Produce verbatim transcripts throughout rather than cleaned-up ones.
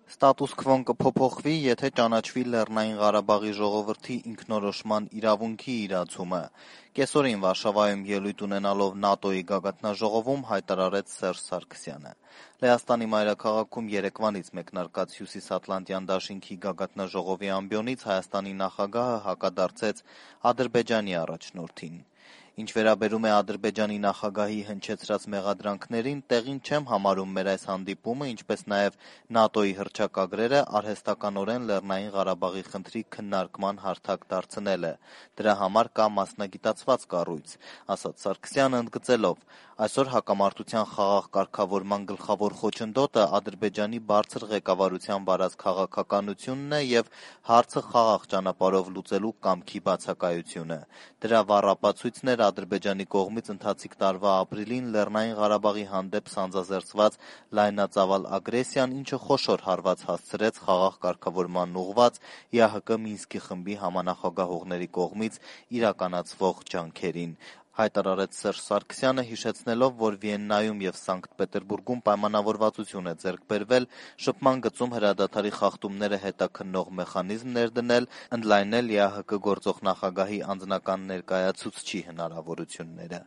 Ստատուս քվոն կփոփոխվի, եթե ճանաչվի Լեռնային Ղարաբաղի ժողովրդի ինքնորոշման իրավունքի իրացումը, կեսօրին Վարշավայում ելույթ ունենալով ՆԱՏՕ-ի գագաթնաժողովում հայտարարեց Սերժ Սարգսյանը։ Լեհաստանի մայրաքաղաքում երեկվանից մեկնարկած Հյուսիսատլանտյան դաշինքի գագաթնաժողովի ամբիոնից Հայաստանի նախագահը հակադարձեց Ադրբեջանի առաջնորդին։ Ինչ վերաբերում է Ադրբեջանի նախագահի հնչեցրած մեղադրանքներին, տեղին չեմ համարում մեր այս հանդիպումը, ինչպես նաև ՆԱՏՕ-ի հռչակագրերը արհեստականորեն Լեռնային Ղարաբաղի խնդրի քննարկման հարթակ դարձնելը։ Դրա համար կա մասնագիտացված կառույց, ասաց Սարգսյանը, ընդգծելով. այսօր հակամարտության խաղաղ կարգավորման գլխավոր խոչընդոտը Ադրբեջանի բարձր ղեկավարության վարած քաղաքականությունն է և հարցը խաղաղ ճանապարհով լուծելու կամքի բացակայությունը։ Դրա վառ ապացույցն էր Ադրբեջանի կողմից ընթացիկ տարվա ապրիլին Լեռնային Ղարաբաղի հանդեպ սանձազերծված լայնածավալ ագրեսիան, ինչը խոշոր հարված հասցրեց խաղաղ կարգավորմանն ուղղված ԵԱՀԿ Մինսկի խմբի համանախագահողների կողմից իրականացվող ջանքերին, հայտարարեց Սերժ Սարգսյանը, հիշեցնելով, որ Վիեննայում և Սանկտ Պետերբուրգում պայմանավորվածություն է ձեռք բերվել շփման գծում հրադադարի խախտումները հետաքննող մեխանիզմ ներդնել, ընդլայնել ԵԱՀԿ գործող նախագահի անձնական ներկայացուցչի հնարավորությունները։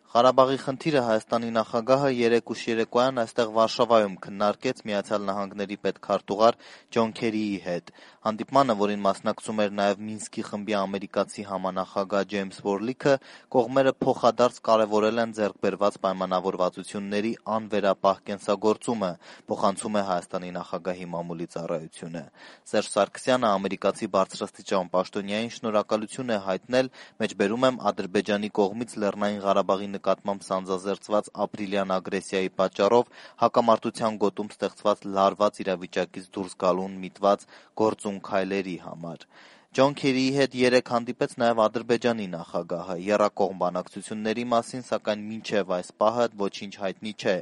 Ղարաբաղի խնդիրը Հայաստանի նախագահը երեկ ուշ երեկոյան այստեղ Վարշավայում քննարկեց Միացյալ Նահանգների պետքարտուղար Ջոն Քերիի հետ։ Հանդիպմանը, որին մասնակցում էր նաև Մինսկի խմբի ամերիկացի համանախագահ Ջեյմս Վորլիքը, կողմերը փոխադարձ կարևորել են ձեռք բերված պայմանավորվածությունների անվերապահ կենսագործումը, փոխանցում է Հայաստանի նախագահի մամուլի ծառայությունը։ Սերժ Սարգսյանը ամերիկացի բարձրաստիճան պաշտոնյային շնորհակալություն է հայտնել, մեջբերում եմ Ադրբեջանի կողմից Լեռնային Ղարաբաղի նկատմամբ սանձազերծված ապրիլյան ագրեսիայի պատճառով հակամարտության գոտում ստեղծված լարված իրավիճակից դուրս գալուն միտված գործուն քայլերի համար։ Ջոն Քերիի հետ երեկ հանդիպեց նաև Ադրբեջանի նախագահը։ Եռակողմ բանակցությունների մասին, սակայն մինչև այս պահը ոչինչ հայտնի չէ։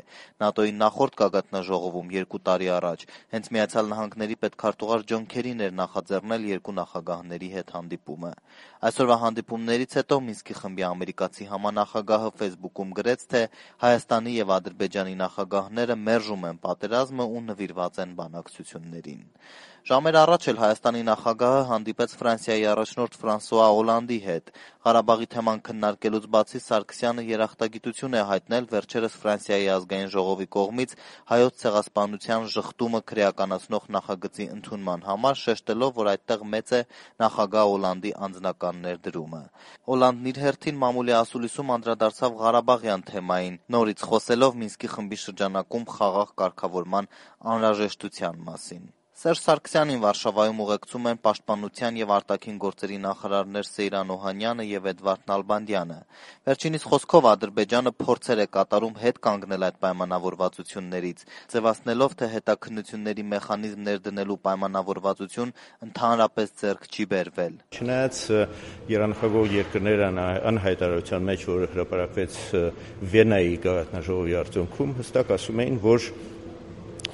ՆԱՏՕ-ի նախորդ գագաթնաժողովում երկու տարի առաջ հենց Միացյալ Նահանգների պետքարտուղար Ջոն Քերին էր նախաձեռնել երկու նախագահների հետ հանդիպումը։ Այսօրվա հանդիպումներից հետո Մինսկի խմբի ամերիկացի համանախագահը Facebook-ում գրեց, թե Հայաստանի և Ադրբեջանի նախագահները մերժում են պատերազմը ու նվիրված են բանակցություններին։ Ժամեր առաջ էլ Հայաստանի նախագահը հանդիպեց Ֆրանսիայի առաջնորդ Ֆրանսուଆ Օլանդի հետ։ Ղարաբաղի թեման քննարկելուց բացի Սարգսյանը երախտագիտություն է հայտնել վերջերս Ֆրանսիայի ազգային ժողովի կողմից Հայոց ցեղասպանության ժխտումը քրեականացնող նախագծի ընդունման համար, շեշտելով, որ այդտեղ մեծ է նախագահ Օլանդի անձնական ներդրումը։ Օլանդն իր հերթին մամուլի ասուլիսում անդրադարձավ Ղարաբաղյան թեմային, նորից խոսելով Մինսկի խմբի շրջանակում խաղաղ կարգավորման անհրաժեշտության մասին։ Սերժ Սարգսյանին Վարշավայում ուղեկցում են պաշտպանության և արտաքին գործերի նախարարներ Սեյրան Օհանյանը և Էդվարդ Նալբանդյանը։ Վերջինիս խոսքով Ադրբեջանը փորձեր է կատարում հետ կանգնել այդ պայմանավորվածություններից, ձևացնելով, թե հետաքննությունների մեխանիզմ ներդնելու պայմանավորվածություն ընդհանրապես ձեռք չի բերվել։ Չնայած եռանախագահ երկրները անհայտարարության մեջ, որ հրապարակվեց Վիեննայի գագաթնաժողովի արդյունքում, հստակ ասում էին, որ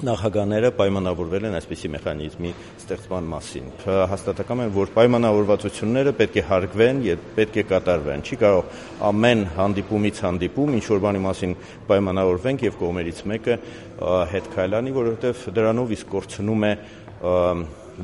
նախագահները պայմանավորվել են այսպիսի մեխանիզմի ստեղծման մասին։ Հաստատակամ են, որ պայմանավորվածությունները պետք է հարգվեն եւ պետք է կատարվեն։ Չի կարող ամեն հանդիպումից հանդիպում ինչ որ բանի մասին պայմանավորվենք եւ կողմերից մեկը հետ քայլանի, որովհետեւ դրանով իսկ կորցնում է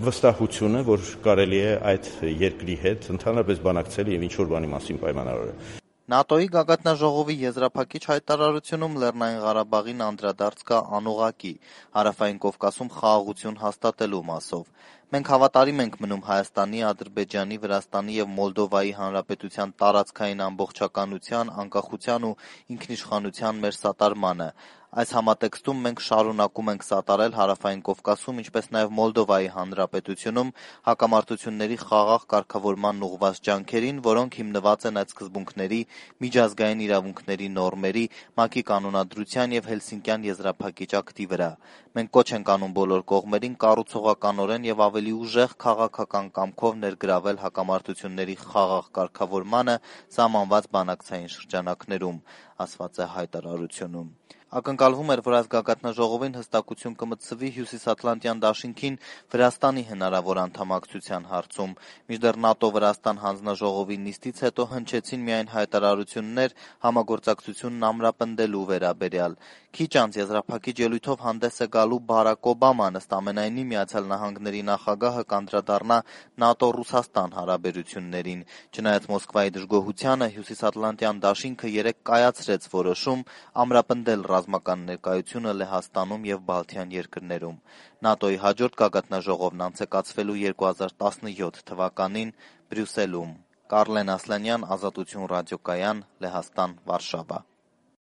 վստահությունը, որ կարելի է այդ երկրի հետ ընդհանրապես բանակցել եւ ինչ որ բանի մասին պայմանավորել։ ՆԱՏՕ-ի գագաթնաժողովի եզրափակիչ հայտարարությունում Լեռնային Ղարաբաղին անդրադարձ կա անուղղակի Հարավային Կովկասում խաղաղություն հաստատելու մասով։ Մենք հավատարիմ ենք մնում Հայաստանի, Ադրբեջանի, Վրաստանի և Մոլդովայի Հանրապետության տարածքային ամբողջականության, անկախության ու ինքնիշխանության մեր սատարմանը։ Այս համատեքստում մենք շարունակում ենք սատարել Հարավային Կովկասում, ինչպես նաև Մոլդովայի Հանրապետությունում հակամարտությունների խաղաղ կարգավորմանն ուղղված ջանքերին, որոնք հիմնված են այդ սկզբունքների, միջազգային իրավունքների նորմերի, ՄԱԿ-ի կանոնադրության և Հելսինկյան եզրափակիչ ակտի վրա։ Մենք կոչ ենք անում բոլոր կողմերին կառուցողականորեն և ավելի ուժեղ քաղաքական կամքով ներգրավել հակամարտությունների խաղաղ կարգավորմանը սահմանված բանակցային շրջանակներում, ասված է հայտարարությունում։ Ակնկալվում էր, որ այս գագաթնաժողովին հստակություն կմտցվի Հյուսիսատլանտյան դաշինքին Վրաստանի հնարավոր անդամակցության հարցում, մինչդեռ ՆԱՏՕ-Վրաստան հանձնաժողովի նիստից հետո հնչեցին միայն հայտարարություններ համագործակցությունն ամրապնդելու վերաբերյալ։ Քիչ անց եզրափակիչ ելույթով հանդես է գալու Բարակ Օբաման, ըստ ամենայնի Միացյալ Նահանգների նախագահը կանդրադառնա ՆԱՏՕ-Ռուսաստան հարաբերություններին։ Չնայած Մոսկվայի դժգոհությանը, Հյուսիսատլանտյան դաշինքը երեկ կայացրեց որոշում ամրապնդել ռազմական ներկայությունը Լեհաստանում և Բալթյան երկրներում։ ՆԱՏՕ-ի հաջորդ գագաթնաժողովն անցեկացվելու երկու հազար տասնյոթ թվականին Բրյուսելում։ Կարլեն Ասլանյան, Ազատություն ռադիոկայան, Լեհաստան, Վարշավա։